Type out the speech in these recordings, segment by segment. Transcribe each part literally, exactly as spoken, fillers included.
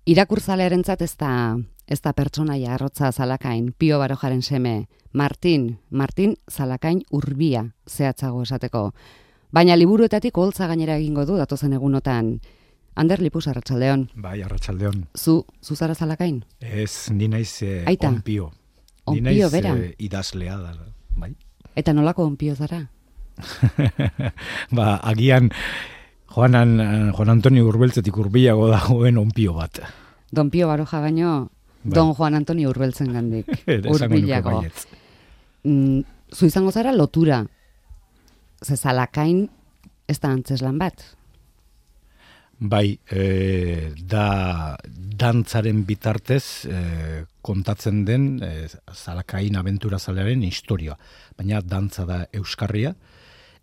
Irakurzalearentzat ez da ez da pertsonaia arrotza Zalakain, Pio Barojaren seme, Martin, Martin Zalakain Urbia, zehatzago esateko. Baina liburuetatik oholtza gainera egingo du datozen egunotan. Ander Lipus, arratsaldeon. Bai, arratsaldeon. Zu, zu zara Zalakain? Ez, ni naiz eh, Aita. onpio. Onpio, ni naiz bera? Eh, idazlea da, bai. Eta nolako onpio zara? Ba, agian Juanan, Juan Antonio Urbeltzetik hurbilago dagoen onpio bat. Don Pio Baroja baino, Bai. Don Juan Antonio Urbeltzen gandik. Esango nuke Hurbilago. baietz. Mm, zu izango zara lotura. Ze Zalakain ez da antzeslan bat. Bai, e, da dantzaren bitartez e, kontatzen den e, Zalakain abenturazalearen historia. Baina dantza da euskarria,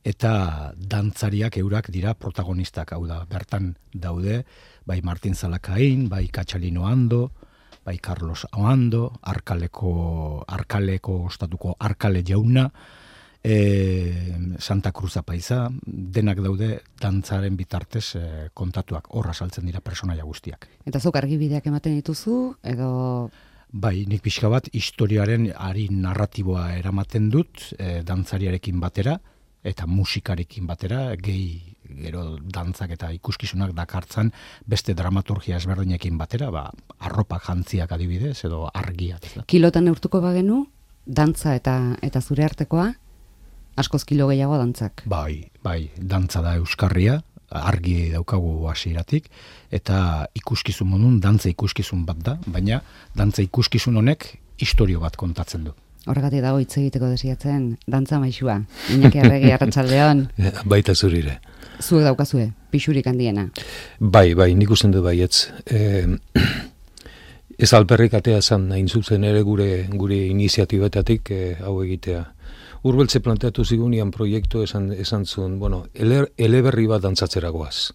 eta dantzariak eurak dira protagonistak, hau da, bertan daude, bai Martin Zalakain, bai Katxalino Ando, bai Carlos Oando, Arkaleko, Arkaleko ostatuko Arkale jauna, e, Santa Cruz Apaiza, denak daude dantzaren bitartez e, kontatuak, horra saltzen dira personaia guztiak. Eta zuk argibideak ematen dituzu, edo... Bai, nik pixka bat historiaren ari narratiboa eramaten dut e, dantzariarekin batera, eta musikarekin batera, gehi gero dantzak eta ikuskizunak dakartzan beste dramaturgia ezberdinekin batera, ba, arropak jantziak adibidez, edo argiak. Ez da. Kilotan neurtuko bagenu, dantza eta eta zure artekoa, askoz kilo gehiago dantzak. Bai, bai, dantza da euskarria, argi daukagu hasieratik, eta ikuskizun modun, dantza ikuskizun bat da, baina dantza ikuskizun honek historio bat kontatzen du. Horregatik dago hitz egiteko desiatzen, dantza maixua. Iñaki Arregi, arratsaldeon. Baita zurire. Zuek daukazue, pixurik handiena. Bai, bai, nik usten du baietz. E, ez alperrik atea zan, hain zuzen ere gure gure iniziatibetatik e, hau egitea. Urbeltze planteatu zigunian proiektu esan, esan zuen, bueno, ele, eleberri bat dantzatzeragoaz.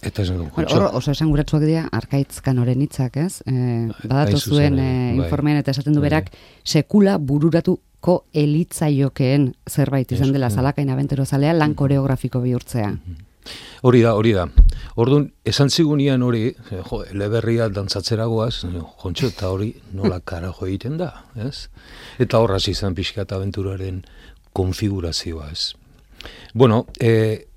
Eta esan dugu. Hor, oso esan guratsuak dira, Arkaitz Kanoren hitzak, ez? E, badatu zuen e, informean eta esaten du berak, sekula bururatuko elitzaiokeen zerbait izan dela Zalakain abenturozalea lan koreografiko bihurtzea. Hori da, hori da. Orduan, esan zigunian hori, jo, eleberria dantzatzeragoaz, jontxo, eta hori nola karajo egiten da, ez? Eta horraz izan pixka eta abenturaren konfigurazioa, ez? Bueno, e,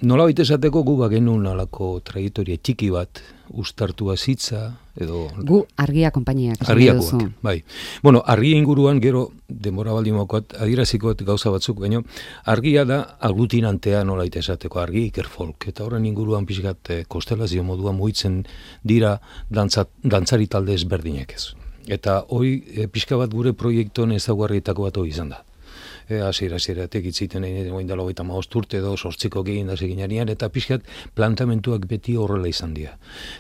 nola baita esateko gu bagenun alako trajektoria txiki bat ustartua zitza, edo... Gu argia konpainiak. Argiakoak, bai. Bueno, argia inguruan gero, denbora baldin mokoat, adierazikoat gauza batzuk, baina argia da aglutinantea nola baita esateko, argi ikerfolk, eta horren inguruan pixkat eh, kostelazio moduan mugitzen dira dantza, dantzari talde ezberdinek ez. Eta hoi eh, pixka bat gure proiektuan ezaguarrietako bat hori izan da. Hasiera hasieratik itziten egin goin dela hogeita hamabost urte edo sortziko egin da seginarian, eta pixkat plantamentuak beti horrela izan dira.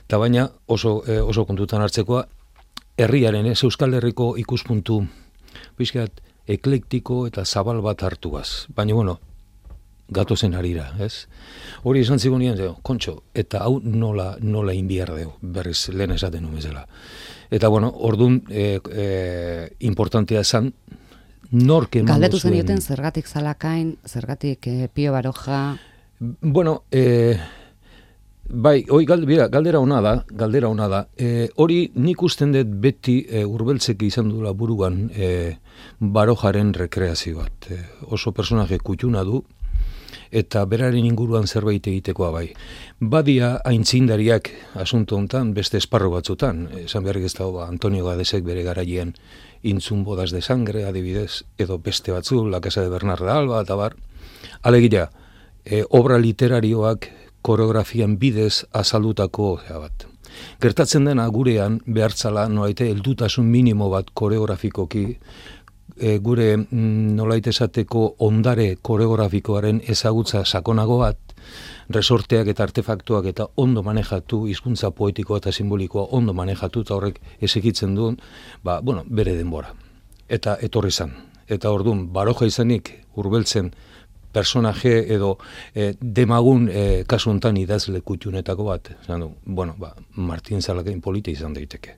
Eta baina oso eh, oso kontutan hartzekoa herriaren, ez Euskal Herriko ikuspuntu pixkat eklektiko eta zabal bat hartuaz. Baina bueno, gatozen harira, ez? Hori esan zigunean, kontxo, eta hau nola nola inbiar deu, berriz lehen esaten numezela. Eta bueno, ordun eh, eh, importantea esan nork emango zuen. Galdetu zenioten zergatik Zalakain, zergatik eh, Pio Baroja... Bueno, eh, bai, oi, galdera, galdera ona da, galdera ona da. Eh, hori nik usten dut beti eh, Urbeltzek izan duela buruan eh, Barojaren rekreazio bat. Eh, oso personaje kutxuna du, eta beraren inguruan zerbait egitekoa bai. Badia aintzindariak asunto hontan beste esparro batzutan. Esan beharrik ez dago, Antonio Gadesek bere garaian Intzun bodas de sangre, adibidez, edo beste batzu, La Casa de Bernarda Alba, eta bar. Alegia, e, obra literarioak koreografian bidez azaldutako bat. Gertatzen dena gurean behartzala noaite heldutasun minimo bat koreografikoki, e, gure mm, nolait esateko ondare koreografikoaren ezagutza sakonago bat, resorteak eta artefaktuak eta ondo manejatu, hizkuntza poetikoa eta simbolikoa ondo manejatu, eta horrek esekitzen duen, ba, bueno, bere denbora. Eta etorri zan. Eta orduan, Baroja izanik Urbeltzen personaje edo eh, demagun eh, kasu hontan idazle kutxunetako bat. Zan, bueno, ba, Martin Zalakain polita izan daiteke.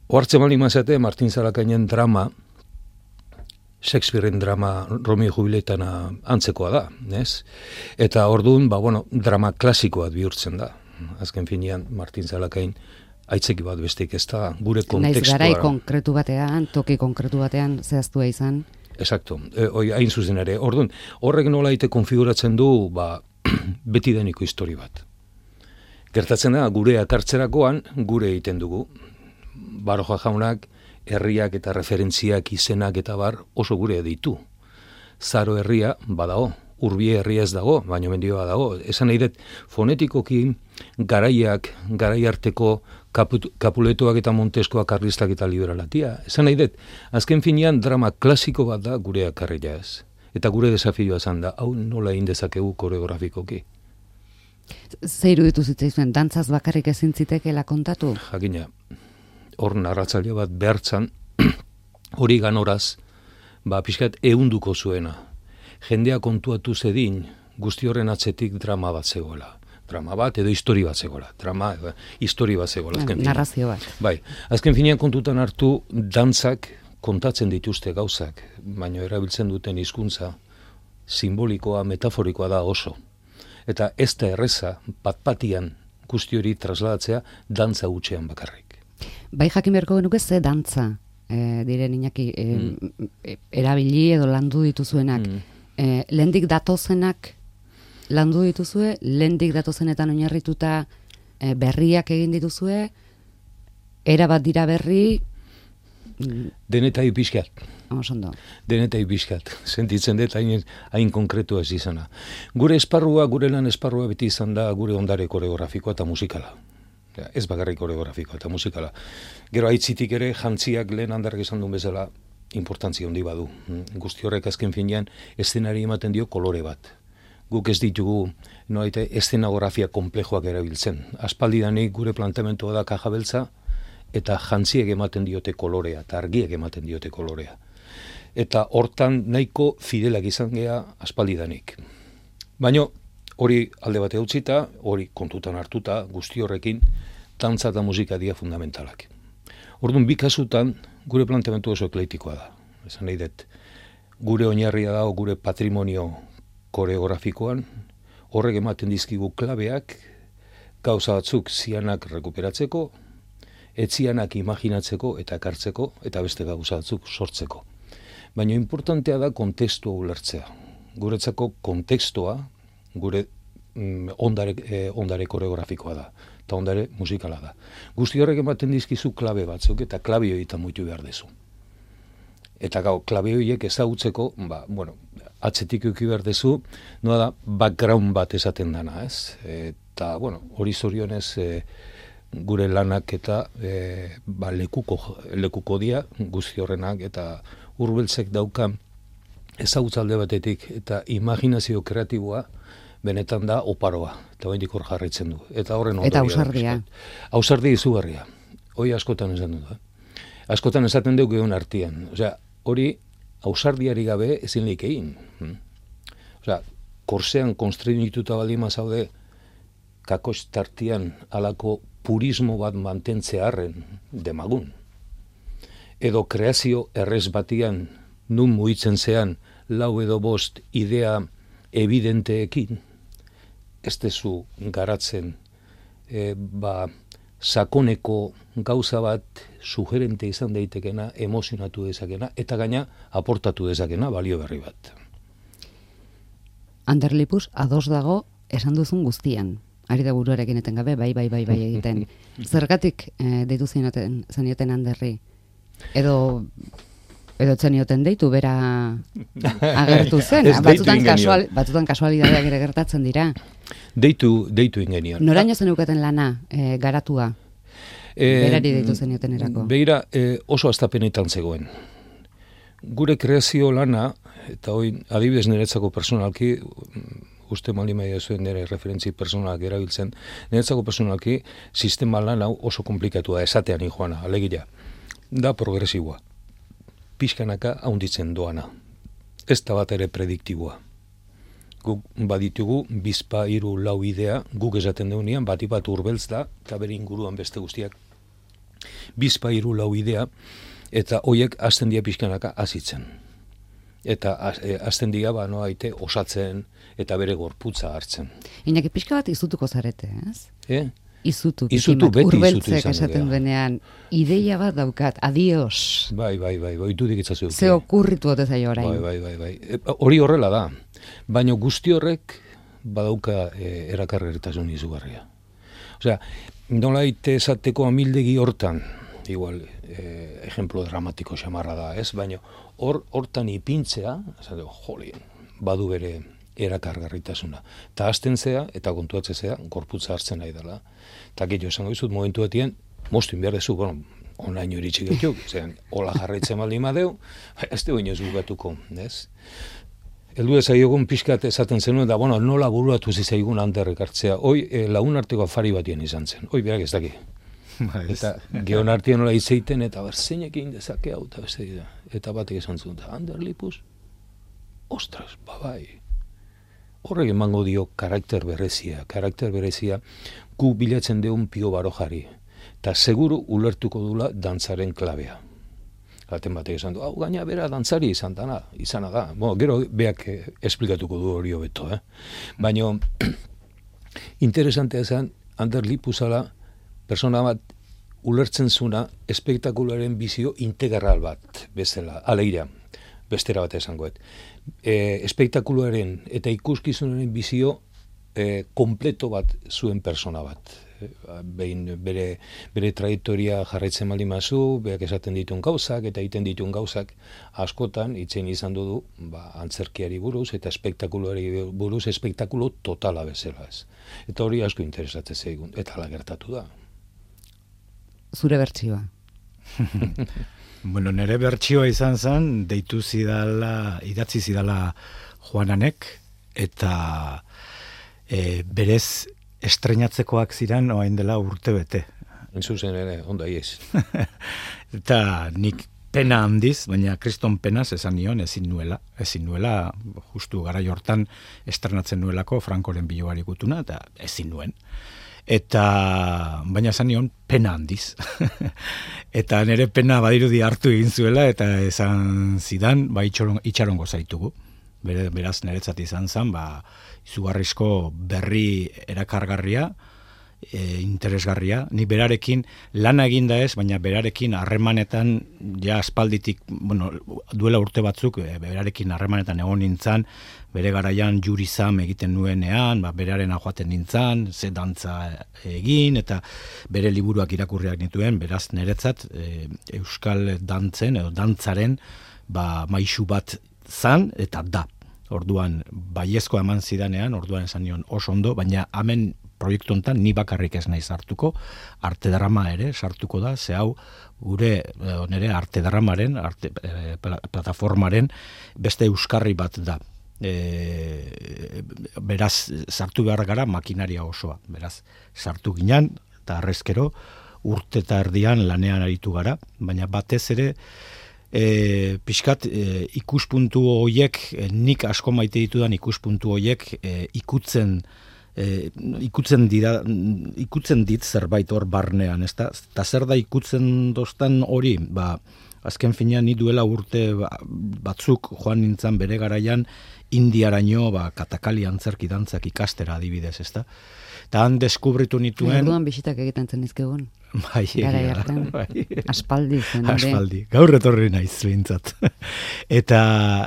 Oartzen bali mazate, Martin Zalakainen drama, Shakespearen drama Romeo Jubiletana antzekoa da, ez? Eta orduan, ba, bueno, drama klasikoa bihurtzen da. Azken finean, Martin Zalakain aitzeki bat besteik ez da, gure kontekstua. Naiz garai konkretu batean, toki konkretu batean zehaztua izan. Exacto, e, oi, hain zuzen ere. Orduan, horrek nola ite konfiguratzen du, ba, beti deniko histori bat. Gertatzen da, gure akartzerakoan, gure egiten dugu. Baroja jaunak, herriak eta referentziak, izenak eta bar oso gure ditu. Zaro herria badago, Urbie herria ez dago, baina mendioa dago. Esan nahi dut, fonetikoki garaiak, garai arteko kaput, kapuletoak eta monteskoak karlistak eta liberalatia. Esan nahi dut, azken finean drama klasiko bat da gure akarria ez. Eta gure desafioa zan da, hau nola egin dezakegu koreografikoki. Ze iruditu zitzaizuen, dantzaz bakarrik ezin zitekeela kontatu? Jakina, hor narratzaile bat behartzan, hori ganoraz, ba, pixkat ehunduko zuena. Jendea kontuatu zedin, guzti horren atzetik drama bat zegoela. Drama bat edo histori bat zegoela. Drama, e, histori bat zegoela. Ja, narrazio bat. Bai, azken finean kontutan hartu, dantzak kontatzen dituzte gauzak, baina erabiltzen duten hizkuntza simbolikoa, metaforikoa da oso. Eta ez da erreza, bat-batian guzti hori trasladatzea dantza hutsean bakarrik. Bai jakin beharko genuke ze dantza e, diren Iñaki e, mm. erabili edo landu dituzuenak. Mm. E, lehendik datozenak landu dituzue, lehendik datozenetan oinarrituta e, berriak egin dituzue, erabat dira berri... Denetai pixkat. Osondo. Denetai pixkat. Sentitzen dut hain, hain konkretua ez izana. Gure esparrua, gure lan esparrua beti izan da gure ondare koreografikoa eta musikala. Ja, ez bakarrik koreografikoa eta musikala. Gero aitzitik ere jantziak lehen handarrak izan duen bezala importantzia handi badu. Guzti horrek azken finean eszenari ematen dio kolore bat. Guk ez ditugu noaite eszenografia komplejoak erabiltzen. Aspaldidanik gure planteamentua da kaja beltza eta jantziek ematen diote kolorea eta argiek ematen diote kolorea. Eta hortan nahiko fidelak izan gea aspaldidanik. Baina hori alde bate utzita, hori kontutan hartuta, guzti horrekin, dantza eta musika dira fundamentalak. Orduan, bi kasutan, gure planteamentu oso ekleitikoa da. Esan nahi dut, gure oinarria dago gure patrimonio koreografikoan, horrek ematen dizkigu klabeak, gauza batzuk zianak rekuperatzeko, etzianak imaginatzeko eta ekartzeko, eta beste gauza batzuk sortzeko. Baina importantea da kontekstua ulertzea. Guretzako kontekstua, gure mm, ondare, eh, ondare koreografikoa da, eta ondare musikala da. Guzti horrek ematen dizkizu klabe batzuk, eta klabe horietan muitu behar dezu. Eta gau, klabe horiek ezagutzeko, ba, bueno, atzetik euki behar dezu, noa da, background bat esaten dana, ez? Eta, bueno, hori zorionez e, gure lanak eta e, ba, lekuko, lekuko dia, guzti horrenak, eta Urbeltzek daukan ezagutzalde batetik, eta imaginazio kreatiboa, benetan da oparoa, eta baindik hor jarraitzen du. Eta horren Eta ausardia. Ausardia izugarria. Hoi askotan esan du da. Askotan esaten dugu egon artian. Osea, hori ausardiari gabe ezin leik egin. Osea, korsean konstrenituta baldima zaude kakos tartian alako purismo bat mantentzearren demagun. Edo kreazio errez batian nun muitzen zean lau edo bost idea evidenteekin, ez dezu garatzen e, ba, sakoneko gauza bat sugerente izan daitekena, emozionatu dezakena, eta gaina aportatu dezakena balio berri bat. Ander Lipus ados dago esan duzun guztian. Ari da buruarekin eten gabe, bai, bai, bai, bai egiten. Zergatik e, deitu zenioten, zenioten Anderri? Edo... Edo zenioten deitu, bera agertu zen. Batzutan, kasual, batzutan kasualidadeak ere gertatzen dira. Deitu, deitu ingenian. Noraino zeneukaten lana, e, garatua? E, Berari deitu zenioten erako. Beira, e, oso astapenetan zegoen. Gure kreazio lana, eta hoi adibidez niretzako personalki, uste mali maia zuen nire referentzi personalak erabiltzen, niretzako personalki sistema lan hau oso komplikatua esatean joana, alegia, da progresiboa. Pixkanaka haunditzen doana. Ez da bat ere prediktiboa. Guk baditugu, bizpa, hiru, lau idea, guk esaten deunean, bati bat Urbeltz da, eta bere inguruan beste guztiak. Bizpa, hiru, lau idea, eta hoiek hasten dia pixkanaka azitzen. Eta hasten dia, ba, noa aite, osatzen, eta bere gorputza hartzen. Iñaki, pixka bat izutuko zarete, ez? Eh? izutu. Izutu, beti izutu Urbeltzek izango esaten dira. duenean, ideia bat daukat, adios. Bai, bai, bai, bai, du dikitzazu. Ze okurritu ote zaio orain. Bai, bai, bai, bai. E, hori horrela da. Baina guzti horrek badauka e, erakargertasun izugarria. Osea, nolait esateko amildegi hortan, igual, eh, ejemplo dramatiko xamarra da, ez? Baina hor, hortan ipintzea, esateko, jolien, badu bere erakargarritasuna. Ta hasten zea, eta kontuatze zea, gorputza hartzen nahi dela. Eta gehiago esango dizut, momentu batien, moztu inbiar dezu, bueno, onaino iritsi gehiago, zean, hola jarraitzen baldin madeu, ez de baino ez bugatuko, ez? Heldu ezaiogun pixkat esaten zenuen, da, bueno, nola buruatu zizaigun handerrek hartzea. Hoi, e, lagun arteko afari batien izan zen. Hoi, berak ez daki. Eta geon artean nola izeiten, eta ber, zeinek egin dezake hau, eta beste dira. Eta batek esan zuen, Ander Lipuz, ostras, babai. Horrek emango dio karakter berezia, karakter berezia, gu bilatzen deun Pio Barojari. Eta seguru ulertuko dula dantzaren klabea. Gaten batek esan du, hau gaina bera dantzari izan dana, izana da. Bueno, gero beak eh, esplikatuko du hori hobeto, eh? Baina interesantea zen, Ander Lipuzala persona bat ulertzen zuna espektakularen bizio integral bat bezala, aleira, bestera bat esangoet. E, espektakularen eta ikuskizunaren bizio e, kompleto bat zuen persona bat. Behin bere, bere trajektoria jarraitzen baldin mazu, beak esaten dituen gauzak eta egiten dituen gauzak askotan itzen izan du ba, antzerkiari buruz eta espektakuloari buruz espektakulo totala bezala ez. Eta hori asko interesatzen zaigun, eta hala gertatu da. Zure bertsioa. Bueno, nire bertsioa izan zen, deitu zidala, idatzi zidala Juananek, eta e, berez estrenatzekoak ziren oain dela urte bete. Entzuzen ere, onda iez. Eta nik pena handiz, baina kriston penaz esan nion ezin nuela. Ezin nuela, justu garai hortan estrenatzen nuelako Frankoren biloari gutuna, eta ezin nuen. Eta, baina esan nion, pena handiz. Eta nire pena badirudi hartu egin zuela, eta esan zidan, ba, itxaron, itxarongo zaitugu. Bere, beraz, niretzat izan zen, ba, izugarrizko berri erakargarria, e, interesgarria. Ni berarekin lana eginda ez, baina berarekin harremanetan, ja aspalditik, bueno, duela urte batzuk, e, berarekin harremanetan egon nintzan, bere garaian jurizam egiten nuenean, ba, beraren joaten nintzan, ze dantza egin, eta bere liburuak irakurriak nituen, beraz niretzat e, euskal dantzen, edo dantzaren, ba, maisu bat zan, eta da. Orduan, baiezkoa eman zidanean, orduan esan nion oso ondo, baina hemen proiektu honetan ni bakarrik ez naiz sartuko, arte drama ere sartuko da, ze hau gure nire arte dramaren, arte, e, plataformaren beste euskarri bat da. E, beraz, sartu behar gara makinaria osoa, beraz, sartu ginen, eta arrezkero, urte eta erdian lanean aritu gara, baina batez ere, E, pixkat e, ikuspuntu horiek, e, nik asko maite ditudan ikuspuntu horiek e, ikutzen e, ikutzen dira, ikutzen dit zerbait hor barnean, ezta? Eta zer da ikutzen dostan hori, ba, azken finean ni duela urte batzuk joan nintzen bere garaian Indiaraino, ba, katakali antzerki dantzak ikastera adibidez, ezta? Eta han deskubritu nituen... Orduan bisitak egiten zen izkegun. Bai, gara jartan. Bai. Aspaldi zen. Aspaldi. Gaur etorri naiz behintzat. eta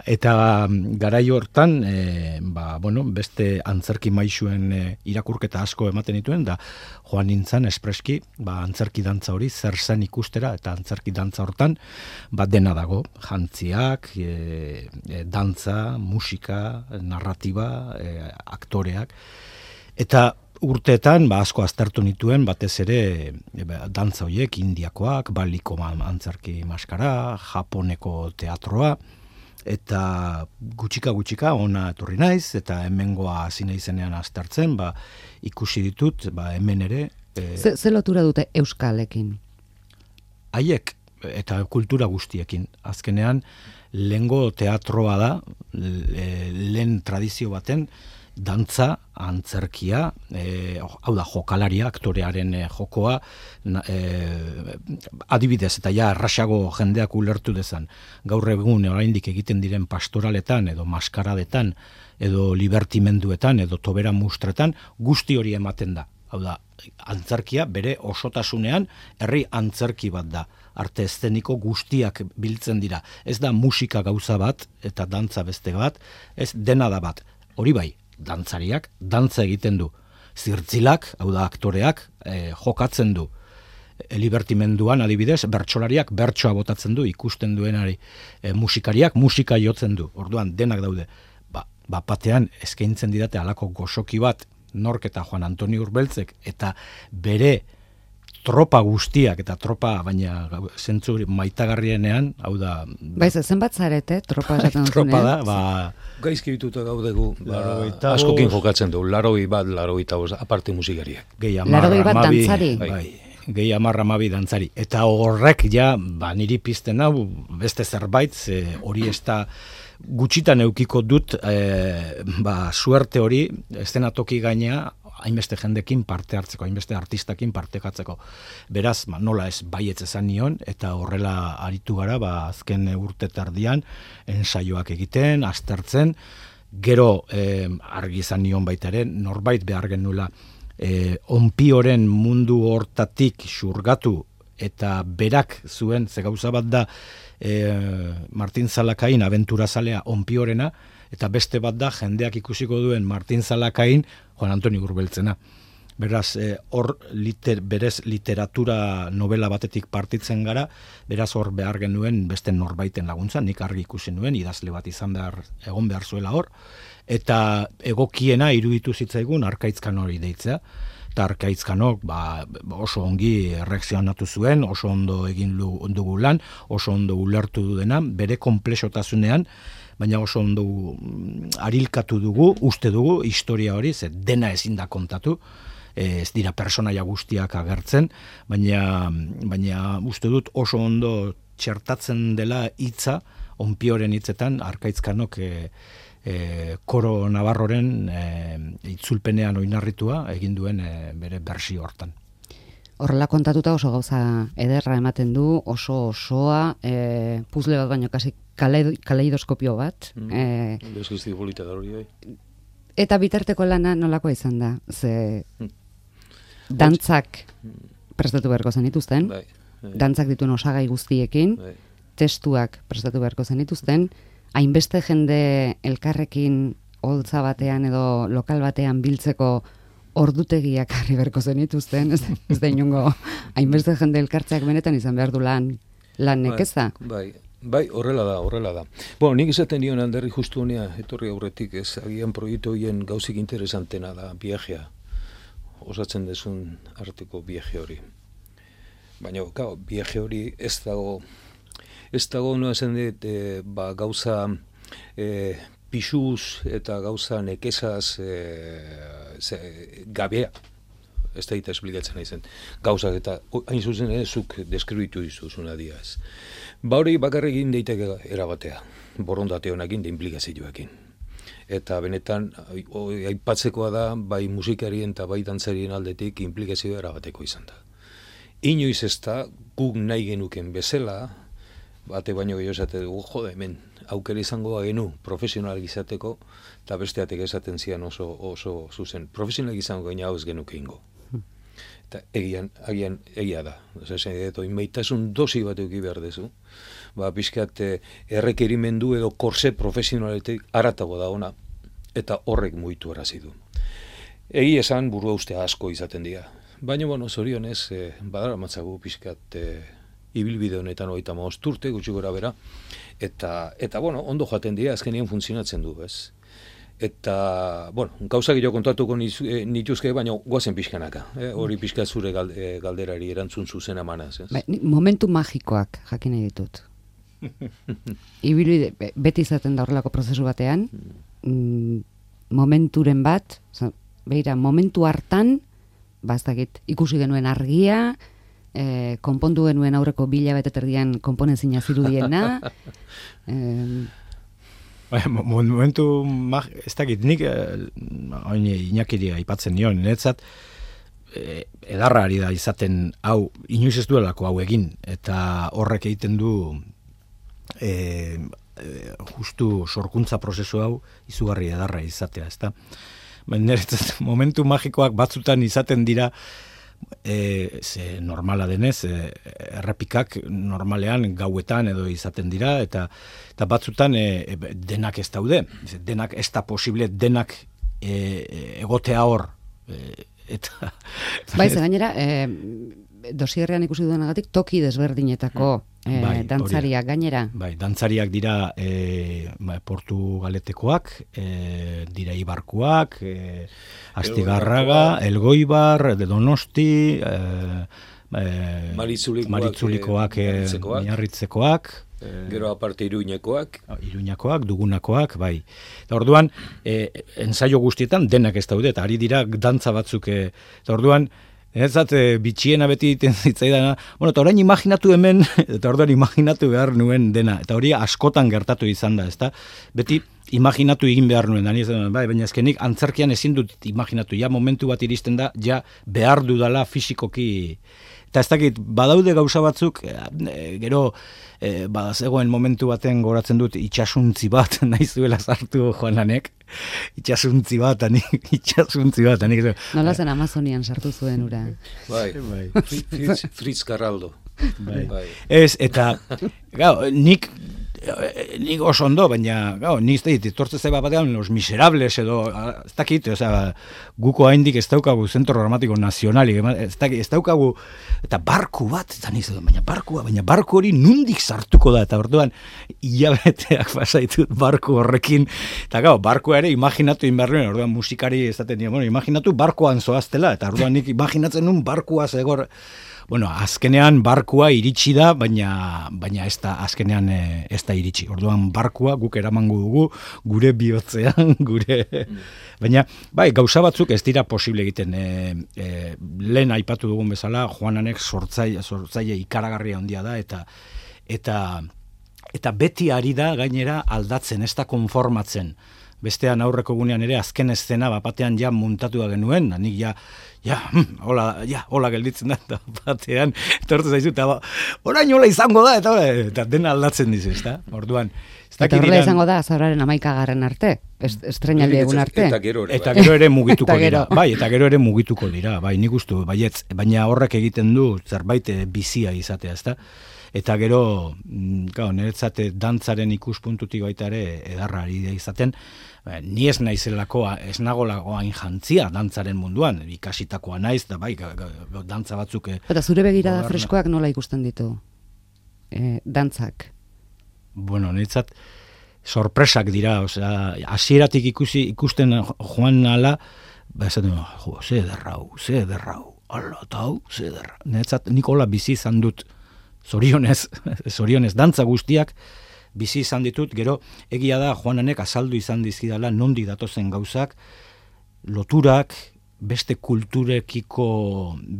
eta garai hortan, e, ba, bueno, beste antzerki maisuen e, irakurketa asko ematen dituen, da joan nintzen espreski, ba, antzerki dantza hori zer zen ikustera, eta antzerki dantza hortan, ba, dena dago, jantziak, e, e, dantza, musika, narratiba, e, aktoreak, eta urteetan, ba, asko aztertu nituen, batez ere e, dantza horiek, indiakoak, baliko antzerki maskara, japoneko teatroa, eta gutxika-gutxika ona etorri naiz, eta hemengoa hasi naizenean aztertzen, ba, ikusi ditut, ba, hemen ere... E, ze, ze lotura dute euskalekin? Haiek, eta kultura guztiekin. Azkenean, lehengo teatroa da, lehen tradizio baten, dantza, antzerkia, e, hau da, jokalaria, aktorearen e, jokoa, e, adibidez, eta ja, arrasago jendeak ulertu dezan. Gaur egun, oraindik egiten diren pastoraletan, edo maskaradetan, edo libertimenduetan, edo tobera mustretan, guzti hori ematen da. Hau da, antzerkia bere osotasunean herri antzerki bat da. Arte eszeniko guztiak biltzen dira. Ez da musika gauza bat eta dantza beste bat, ez dena da bat. Hori bai, dantzariak dantza egiten du. Zirtzilak, hau da aktoreak, eh, jokatzen du. Libertimenduan adibidez, bertsolariak bertsoa botatzen du, ikusten duenari. E, musikariak musika jotzen du. Orduan denak daude. Ba, ba batean eskaintzen didate halako goxoki bat, Nork eta Juan Antonio Urbeltzek eta bere tropa guztiak eta tropa, baina zentzu maitagarrienean, hau da... Baiz, zenbat zarete, tropa esaten duzunean? Tropa da, ba... Gaizki bituta gaudegu, ba, Larogeita askokin bost. jokatzen du, laroi bat, laroi eta bost, aparte musikariak. Gehi amarra, Larogei bat amabi, dantzari. Bai, gehi amarra amabi dantzari. Eta horrek ja, ba, niri pizten hau, beste zerbait, ze hori ez da gutxitan eukiko dut, e, ba, suerte hori, eszenatoki gainea, hainbeste jendekin parte hartzeko, hainbeste artistakin partekatzeko. Beraz, ba, nola ez baietz esan nion, eta horrela aritu gara, ba, azken urte tardian, ensaioak egiten, aztertzen, gero eh, argi izan nion baita ere, norbait behar genula, eh, onpioren mundu hortatik xurgatu, eta berak zuen, ze gauza bat da, eh, Martin Zalakain abenturazalea onpiorena, eta beste bat da jendeak ikusiko duen Martin Zalakain Juan Antonio Urbeltzena. Beraz, hor eh, liter, berez literatura novela batetik partitzen gara, beraz hor behar genuen beste norbaiten laguntza, nik argi ikusi nuen, idazle bat izan behar, egon behar zuela hor, eta egokiena iruditu zitzaigun Arkaitzkan hori deitzea, eta Arkaitzkanok ba, oso ongi erreakzionatu zuen, oso ondo egin dugu lan, oso ondo ulertu du dena, bere konplexotasunean, baina oso ondo arilkatu dugu, uste dugu, historia hori, ze dena ezin da kontatu, ez dira personaia guztiak agertzen, baina, baina uste dut oso ondo txertatzen dela hitza, onpioren hitzetan, Arkaitzkanok e, e, koro Navarroren e, itzulpenean oinarritua egin duen e, bere bersio hortan. Horrela kontatuta oso gauza ederra ematen du, oso osoa, e, puzle bat baino kasi kaleidoskopio bat. Mm. E, Bezgizti polita da hori, bai. Eta bitarteko lana nolakoa izan da? Ze dantzak prestatu beharko zenituzten, Bai, bai. dantzak dituen osagai guztiekin, Bai. testuak prestatu beharko zenituzten, hainbeste jende elkarrekin holtza batean edo lokal batean biltzeko ordutegiak harri beharko zenituzten, ez, ez da inongo hainbeste jende elkartzeak benetan izan behar du lan, lan nekeza. Bai, bai, horrela da, horrela da. Bueno, nik esaten dion alderri justu honea, etorri aurretik, ez, agian proiektu horien gauzik interesantena da, viajea, osatzen dezun arteko viaje hori. Baina, gau, viaje hori ez dago, ez dago, no esan dit, e, ba, gauza e, pixuz eta gauza nekezaz e, ze, gabea, ez da eta esplikatzen nahi zen, gauzak eta hain zuzen ere zuk deskribitu dizuzuna diaz. Ba hori bakarrik egin daiteke erabatea, borondate honekin da implikazioekin. Eta benetan, aipatzekoa da, bai musikarien eta bai dantzarien aldetik implikazioa erabateko izan da. Inoiz ez da, guk nahi genuken bezala, bate baino gehiago esate dugu, jode, hemen, aukera izango genu profesionalak izateko, eta besteatek esaten zian oso, oso zuzen. Profesionalak izango gaina hau ez genuke ingo. Eta egian, agian, egia da. Osa, inbaitasun dosi bat euki behar dezu. Ba, pixkat errekerimendu edo korse profesionaletik aratago da ona, eta horrek muitu arazi du. Egi esan burua uste asko izaten dira. Baina, bueno, zorionez, eh, badara matzagu pixkat eh, ibilbide honetan hogeita hamabost urte, gutxi gora bera, eta, eta bueno, ondo jaten dira, azkenean funtzionatzen du, ez? Eta, bueno, gauza gehiago kontatuko nituzke, baina guazen pixkanaka. Eh? Hori pixka zure galderari erantzun zuzen emanaz. Ez? Ba, momentu magikoak jakin nahi ditut. Ibilbide, beti izaten da horrelako prozesu batean, mm, momenturen bat, beira, momentu hartan, baztakit, ikusi genuen argia, eh, konpondu genuen aurreko bila beteterdian konponezina zirudiena, eh, Momentu, ez dakit, nik oin inakiri aipatzen nion, niretzat edarra ari da izaten hau, inoiz ez duelako hau egin, eta horrek egiten du e, justu sorkuntza prozesu hau izugarri edarra izatea, ezta? niretzat momentu magikoak batzutan izaten dira, E, ze normala denez, e, errepikak normalean gauetan edo izaten dira, eta, eta batzutan e, denak ez daude, denak ez da posible, denak e, egotea hor. E, eta Bai, ze gainera, e, dosierrean ikusi duenagatik toki desberdinetako e, bai, dantzariak gainera. Bai, dantzariak dira e, Portugaletekoak, e, dira Ibarkuak, e, Astigarraga, Elgoibar, de Donosti, e, e, Maritzulikoak, Maritzulikoak, e, Miarritzekoak, gero aparte Iruñekoak. Iruñakoak, Dugunakoak, bai. Eta orduan, e, ensaio guztietan denak ez daude, eta ari dira dantza batzuk, e, eta orduan, Ezat, e, bitxiena beti iten zitzaidana, bueno, eta orain imaginatu hemen, eta orduan imaginatu behar nuen dena, eta hori askotan gertatu izan da, ezta? Beti imaginatu egin behar nuen, dani ez da, bai, baina ezkenik antzerkian ezin dut imaginatu, ja momentu bat iristen da, ja behar dudala fisikoki, eta ez dakit, badaude gauza batzuk, e, gero, e, bazegoen momentu baten goratzen dut, itxasuntzi bat, nahi zuela sartu Joananek, itxasuntzi bat, anik, itxasuntzi bat, anik. Nola zen Amazonian sartu zuen ura. Bai, bai. Fritz, Fritz Carraldo. Bai. Bai. Ez, eta, gau, nik, nik oso ondo, baina, gau, nik ez dit, tortze zeba batean, Los Miserables edo, ez dakit, oza, guko haindik ez daukagu Zentro Dramatiko Nazionalik, ez dakit, ez daukagu, eta barku bat, eta nik zaitu, baina barkua, baina barku hori nundik sartuko da, eta orduan, hilabeteak pasaitut barku horrekin, eta gau, barkua ere imaginatu inberruen, orduan musikari ez daten, bueno, imaginatu barkuan zoaztela, eta orduan nik imaginatzen nun barkua zegor, bueno, azkenean barkua iritsi da, baina baina ez da azkenean e, ez da iritsi. Orduan barkua guk eramango dugu gure bihotzean, gure baina bai, gauza batzuk ez dira posible egiten. E, e, lehen aipatu dugun bezala, Joananek sortzaile sortzaile ikaragarria handia da eta eta eta beti ari da gainera aldatzen, ez da konformatzen. Bestean aurreko gunean ere azken eszena batean ja muntatu da genuen, nik ja ja, hola, ja, hola gelditzen da, eta batean, etortu zaizu, eta orain hola izango da, eta, eta dena aldatzen dizu, ez da? Orduan, eta horrela izango da, zauraren amaikagarren arte, estrenaldi egun arte. Eta gero ere, eta gero ere mugituko dira, bai, eta gero ere mugituko dira, bai, nik ustu, baietz, baina horrek egiten du zerbait bizia izatea, ez da? Eta gero, gau, niretzate dantzaren ikuspuntutik baita ere edarra ari da izaten, ni ez naizelako, ez nagolako hain jantzia dantzaren munduan, ikasitakoa naiz, da bai, dantza batzuk... Eta zure begirada freskoak nola ikusten ditu? E, dantzak? Bueno, niretzat sorpresak dira, osea, hasieratik ikusi ikusten joan ala, ba, esaten, jo, ze derrau, ze derrau, ala, tau, ze derrau. Niretzat Nikola bizi izan dut, zorionez, zorionez, dantza guztiak, bizi izan ditut, gero egia da Joananek azaldu izan dizkidala nondik datozen gauzak, loturak, beste kulturekiko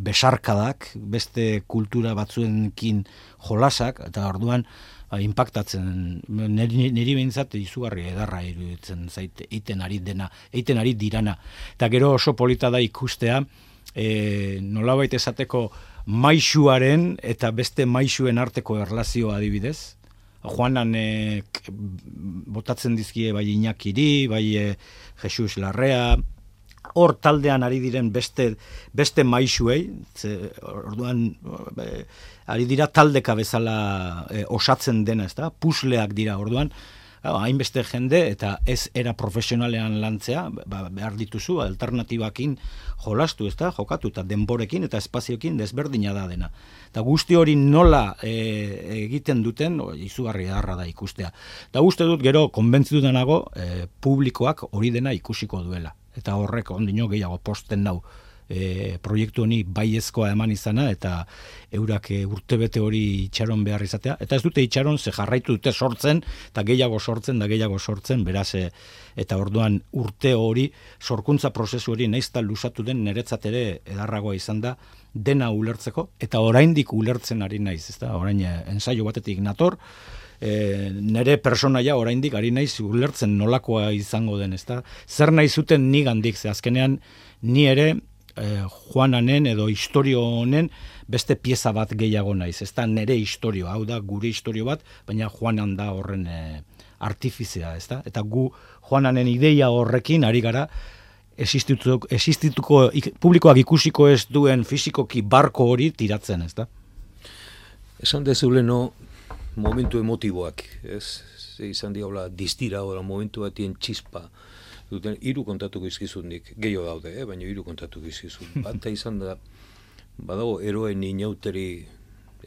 besarkadak, beste kultura batzuenkin jolasak, eta orduan ba, impactatzen, niri, niri behintzat izugarri edarra iruditzen zait, eiten ari dena, eiten ari dirana. Eta gero oso polita da ikustea, e, nolabait esateko maisuaren eta beste maisuen arteko erlazioa adibidez, Joananek botatzen dizkie bai Iñakiri, bai e, Jesus Larrea, hor taldean ari diren beste beste maisuei, ze, orduan e, ari dira taldeka bezala e, osatzen dena, ezta? Pusleak dira orduan, hainbeste jende eta ez era profesionalean lantzea, ba, behar dituzu alternatibakin jolastu, ezta? Jokatu eta denborekin eta espazioekin desberdina da dena. Eta guzti hori nola e, egiten duten, o, izugarri edarra da ikustea. Eta uste dut gero konbentzituta nago e, publikoak hori dena ikusiko duela. Eta horrek ondino gehiago posten nau e, proiektu honi baiezkoa eman izana eta eurak e, urtebete hori itxaron behar izatea. Eta ez dute itxaron, ze jarraitu dute sortzen, eta gehiago sortzen, da gehiago sortzen, beraz, e, eta orduan urte hori, sorkuntza prozesu hori naizta lusatu den niretzat ere edarragoa izan da, dena ulertzeko, eta oraindik ulertzen ari naiz, ezta? Orain ensaio batetik nator, e, nere personaia oraindik ari naiz ulertzen nolakoa izango den, ezta? Zer nahi zuten nigandik, ze azkenean ni ere e, Joananen edo istorio honen beste pieza bat gehiago naiz, ezta nere istorio, hau da gure istorio bat, baina Joanan da horren e, artifizia, ezta? Eta gu Joananen ideia horrekin ari gara existituko, existituko publikoak ikusiko ez duen fisikoki barko hori tiratzen, ez da? Esan dezuleno momentu emotiboak, ez? Izan diaula distira, oda momentu batien txispa, duten hiru kontatu gizkizunik, gehiago daude, eh? Baina hiru kontatu gizkizun. Bata izan da, badago eroen inauteri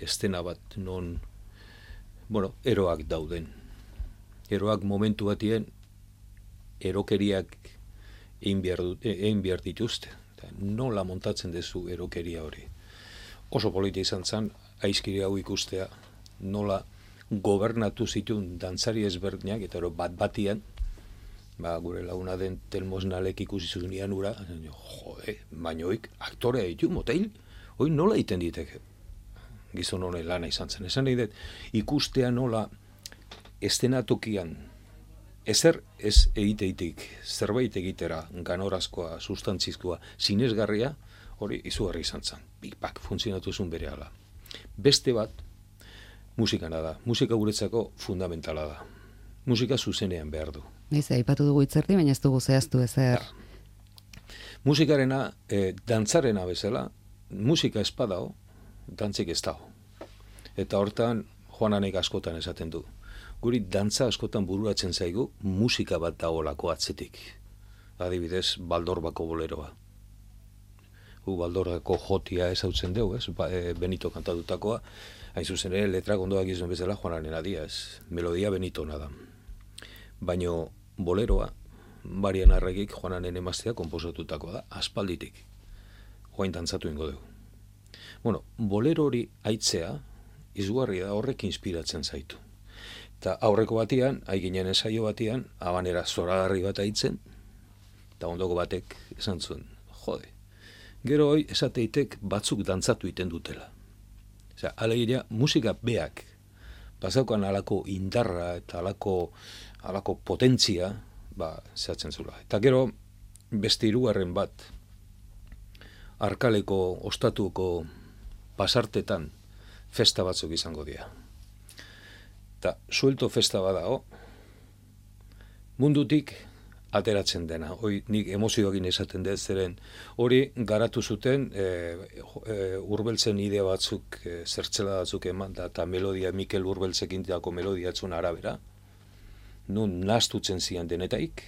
estena bat, non, bueno, eroak dauden. Eroak momentu batien erokeriak egin behar, egin behar dituzte. Nola montatzen dezu erokeria hori. Oso polita izan zen, aizkiri hau ikustea, nola gobernatu zituen dantzari ezberdinak, eta bat batian, ba, gure laguna den Telmosnalek ikusi zuenian ura, jode, baina hoik aktorea ditu, moteil, hoi nola egiten diteke. Gizon honen lana izan zen. Esan nahi dut, ikustea nola estenatokian, ezer ez egiteitik, zerbait egitera, ganorazkoa, sustantzizkoa, sinesgarria, hori izugarri izan zen. Big Bang, funtzionatu zuen bere ala. Beste bat, musikana da. Musika guretzako fundamentala da. Musika zuzenean behar du. Naiz, aipatu dugu itzerdi, baina ez dugu zehaztu ezer. Musikarena, eh, dantzarena bezala, musika espadao, dantzik ez dago. Eta hortan, Joananek askotan esaten du. Guri dantza askotan bururatzen zaigu, musika bat dagoelako atzetik. Adibidez, Baldorbako boleroa. Gu Baldorbako jotia ezautzen dugu, ez? Ba, e, Benito kantatutakoa, hain zuzen ere, letra gondoak izan bezala Joanaren adia, ez? Melodia Benitona da. Baina boleroa, Marian Arregik Joananen emaztea konposatutakoa da, aspalditik. Joain dantzatu ingo dugu. Bueno, bolero hori aitzea, izugarria da, horrek inspiratzen zaitu. Eta aurreko batian, haiginen ensaio batian, habanera zoragarri bat aitzen, eta ondoko batek esan zuen, jode, gero hoi esateitek batzuk dantzatu iten dutela. Osea, alegia, musika beak, bazaukan alako indarra eta alako, alako potentzia, ba, zehatzen zula. Eta gero, beste hirugarren bat, Arkaleko ostatuko pasartetan festa batzuk izango dira. Eta suelto festa badago, mundutik ateratzen dena. Hoi nik emozioakin esaten dut zeren, hori garatu zuten e, e, Urbeltzen idea batzuk, e, zertzela batzuk eman, da, eta melodia, Mikel Urbeltzekin dako melodiatzun arabera, nun nastutzen zian denetaik,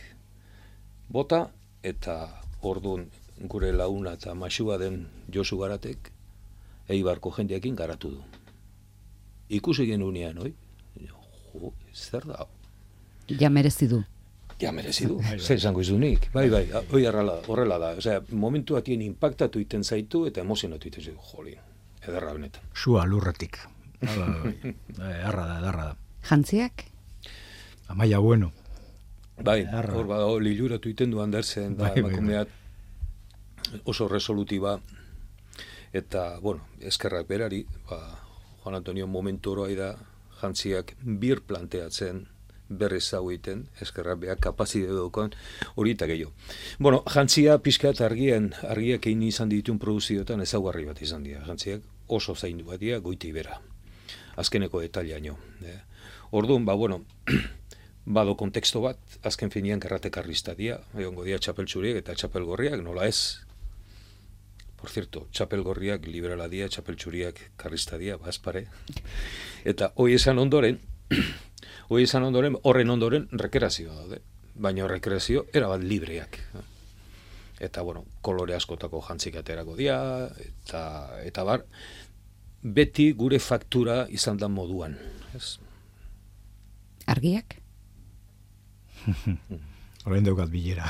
bota, eta orduan gure launa eta masua den Josu Garatek, Eibarko jendeakin garatu du. Ikusi genunean, oi? Jo, zer da? Ja merezi du. Ja merezi du, zer izango izunik. Bai, bai, hoi horrela da. Osea, momentu atien impactatu iten zaitu eta emozionatu iten zaitu. Jolin, ederra benetan. Sua lurretik. Edarra da, edarra da. Jantziak? Amaia bueno. Bai, hor bada, liluratu iten du Andersen, da, emakumeat oso resolutiba, eta, bueno, eskerrak berari, ba, Juan Antonio momentu hori da, jantziak bir planteatzen, berriz zau egiten, eskerrak beha kapazide dukoan, hori eta gehiago. Bueno, jantzia pixka eta argien, argiak egin izan ditun produzioetan ezaugarri bat izan dira. Jantziak oso zaindu bat dira, goiti bera. Azkeneko detaliaino. Eh. Orduan, ba, bueno, bado konteksto bat, azken finean karratekarrista dira, egongo dira txapel txuriek eta txapel gorriak, nola ez. Por cierto, txapel gorriak liberala dira, txapel txuriak karrista dira, bazpare. Eta hoi esan ondoren, hoi esan ondoren, horren ondoren rekreazioa daude. Baina rekreazio erabat libreak. Eta, bueno, kolore askotako jantzik aterako dira, eta, eta bar, beti gure faktura izan da moduan. Ez? Argiak? Horrein daukat bilera.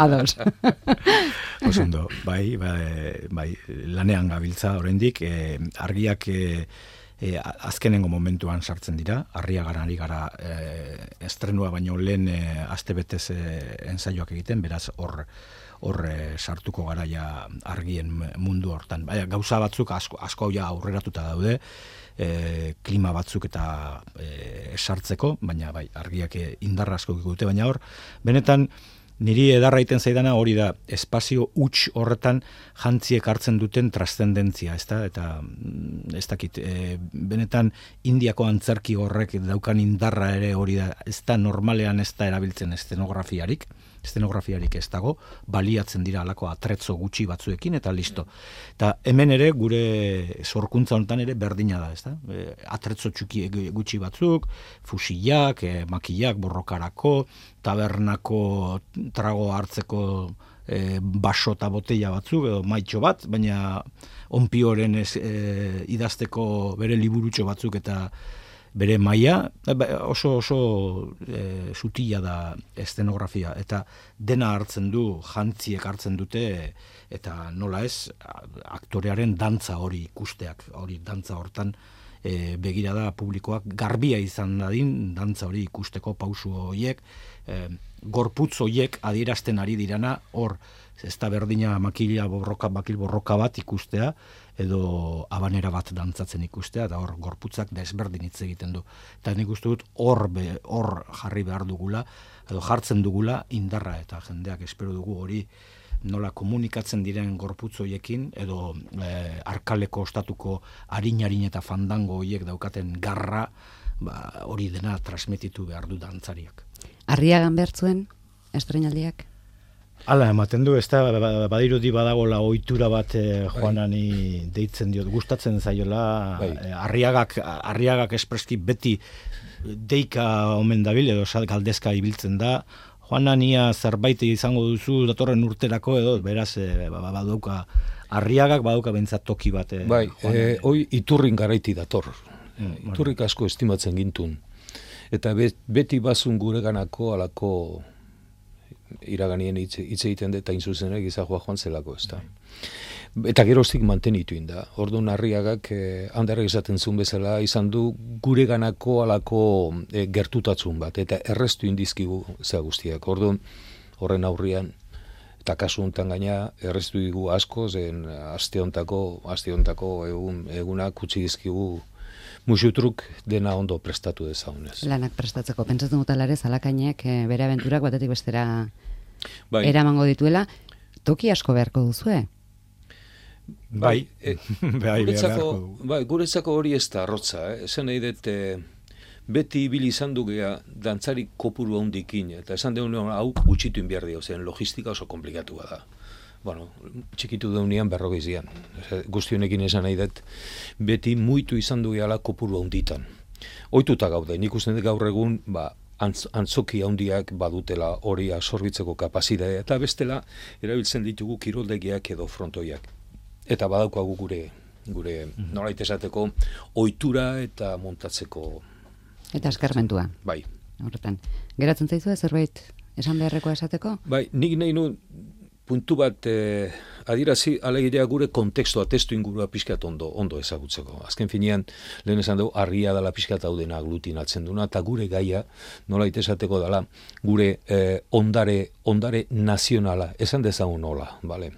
Ados. Osondo, bai, bai, bai, lanean gabiltza oraindik, eh, argiak eh, eh, azkenengo momentuan sartzen dira, arria gara ari gara eh, estrenua baino lehen eh, astebetez eh, ensaioak egiten, beraz hor hor eh, sartuko garaia argien mundu hortan. Baina gauza batzuk asko, asko ja aurreratuta daude, E, klima batzuk eta e, sartzeko, baina bai, argiak indarra asko dute, baina hor, benetan niri edarra iten zaidana hori da, espazio huts horretan jantziek hartzen duten trascendentzia, ezta? Eta ez dakit, e, benetan Indiako antzerki horrek daukan indarra ere hori da, ez da normalean ez da erabiltzen eszenografiarik, estenografiarik ez dago, baliatzen dira alako atretzo gutxi batzuekin, eta listo. Eta hemen ere, gure sorkuntza honetan ere berdina da, ez da? E, atretzo txuki gutxi batzuk, fusilak, e, makillak, borrokarako, tabernako trago hartzeko e, baso eta botella batzuk, edo maitxo bat, baina onpioren ez, e, idazteko bere liburutxo batzuk eta bere maila oso oso e, sutila da estenografia, eta dena hartzen du, jantziek hartzen dute, eta nola ez, aktorearen dantza hori ikusteak, hori dantza hortan e, begirada publikoak garbia izan dadin, dantza hori ikusteko pausu horiek, e, gorputz horiek adierazten ari dirana, hor, ez da berdina makila borroka, makil borroka bat ikustea, edo abanera bat dantzatzen ikustea, eta hor gorputzak desberdin hitz egiten du. Eta nik uste dut hor hor jarri behar dugula, edo jartzen dugula indarra, eta jendeak espero dugu hori nola komunikatzen diren gorputz hoiekin, edo e, arkaleko ostatuko harin-harin eta fandango hoiek daukaten garra, ba, hori dena transmititu behar du dantzariak. Arriagan bertzuen, estrenaldiak? Hala, ematen du, ez da, badirudi badagola ohitura bat eh, Juanani deitzen diot, gustatzen zaiola, eh, arriagak, arriagak espreski beti deika omen dabil, edo galdezka ibiltzen da, Juanania zerbait izango duzu datorren urterako, edo beraz eh, badauka, arriagak badauka bentsat toki bat. Eh, bai, eh, hoi iturrin garaiti dator, mm, iturrik asko estimatzen gintun, eta beti bazun gureganako alako iraganien hitz egiten dut, hain zuzenek izagoa joan zelako, ez da. Eta geroztik mantenitu inda. Orduan Arriagak, eh, handarek esaten zuen bezala, izan du gureganako alako eh, gertutatzun bat, eta errestu indizkigu zea guztiak. Orduan, horren aurrian, eta kasu honetan gaina, errestu digu asko, zen aste hontako, aste hontako egun, egunak utzi dizkigu musutruk dena ondo prestatu dezaunez. Lanak prestatzeko. Pentsatzen dut alare Zalakainek e, bere abenturak batetik bestera bai. eramango dituela. Toki asko beharko duzue? Bai, e, bai, guretzako, bai, guretzako hori ez da arrotza. Eh? Esan nahi dut, e, beti ibili izan dugea dantzari kopuru handikin, eta esan deun hau gutxitu inbiar dio, zen logistika oso komplikatua da. Bueno, txikitu deunean berrogeizian. Guztionekin esan nahi dut, beti muitu izan du gehala kopuru handitan. Oituta gaude, nik uste dut gaur egun, ba, antz, antzoki handiak badutela hori absorbitzeko kapazitatea, eta bestela erabiltzen ditugu kiroldegiak edo frontoiak. Eta badaukagu gure, gure mm-hmm. nolait esateko, ohitura eta montatzeko. Eta eskarmentua. Bai. Horretan. Geratzen zaizu zerbait esan beharrekoa esateko? Bai, nik nahi nu puntu bat eh, adirazi alegirea gure kontekstua, testu ingurua pixkat ondo, ondo ezagutzeko. Azken finean, lehen esan dugu, argia dela pixkat hau dena aglutinatzen duna, eta gure gaia, nolait esateko dela, gure eh, ondare, ondare nazionala, esan dezagun nola, bale?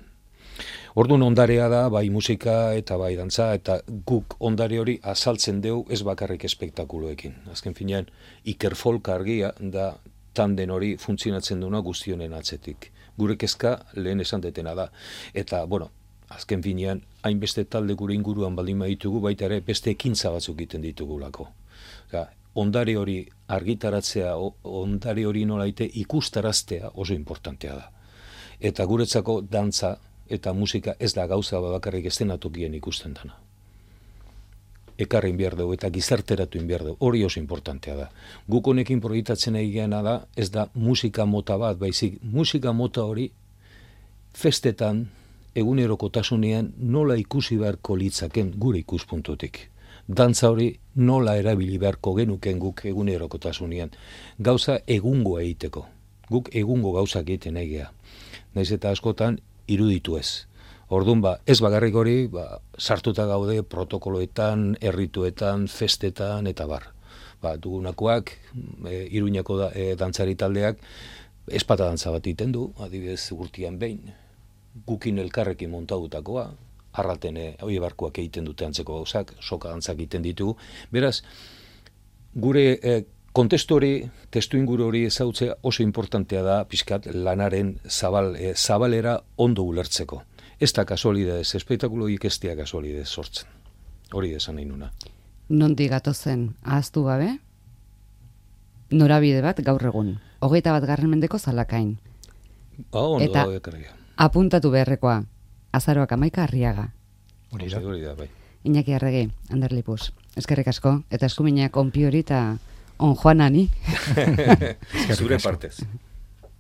Orduan ondarea da, bai musika eta bai dantza, eta guk ondare hori azaltzen dugu ez bakarrik espektakuloekin. Azken finean, Iker Folk argia da tanden hori funtzionatzen duna guztionen atzetik. Gure kezka lehen esan detena da. Eta, bueno, azken finean, hainbeste talde gure inguruan baldin baditugu, baita ere beste ekintza batzuk egiten ditugulako. Osa, ondare hori argitaratzea, ondare hori nolaite ikustaraztea oso importantea da. Eta guretzako dantza eta musika ez da gauza bakarrik estenatokien ikusten dana. Ekarri behar dugu eta gizarteratu behar dugu. Hori oso importantea da. Guk honekin proiektatzen egiena da, ez da musika mota bat, baizik musika mota hori festetan, egunerokotasunean nola ikusi beharko litzaken gure ikuspuntutik. Dantza hori nola erabili beharko genuken guk egunerokotasunean. Gauza egungo egiteko. Guk egungo gauzak egiten egia. Naiz eta askotan iruditu ez. Orduan ba, ez bakarrik hori, ba, sartuta gaude protokoloetan, errituetan, festetan, eta bar. Ba, dugunakoak, e, Iruñako da, e, dantzari taldeak, espata dantza bat iten du, adibidez urtean behin, gukin elkarrekin montautakoa, arraten e, hoi barkuak egiten dute antzeko gauzak, soka dantzak egiten ditugu. Beraz, gure e, kontestu hori, testu inguru hori ezautzea oso importantea da, pixkat lanaren zabal, e, zabalera ondo ulertzeko. Ez da kasualidez, espektakuloik ez dira kasualidez sortzen. Hori esan nahi nuna. Nondik gatozen ahaztu gabe, norabide bat gaur egun. Hogeita bat garren mendeko Zalakain. Ah, ondo, eta ekarria. apuntatu beharrekoa, azaroak amaika Arriaga. Hori da. Hori da, bai. Iñaki Arregi, Ander Lipuz. Eskerrik asko, eta eskuminak onpi hori eta on joanani. Zure partez.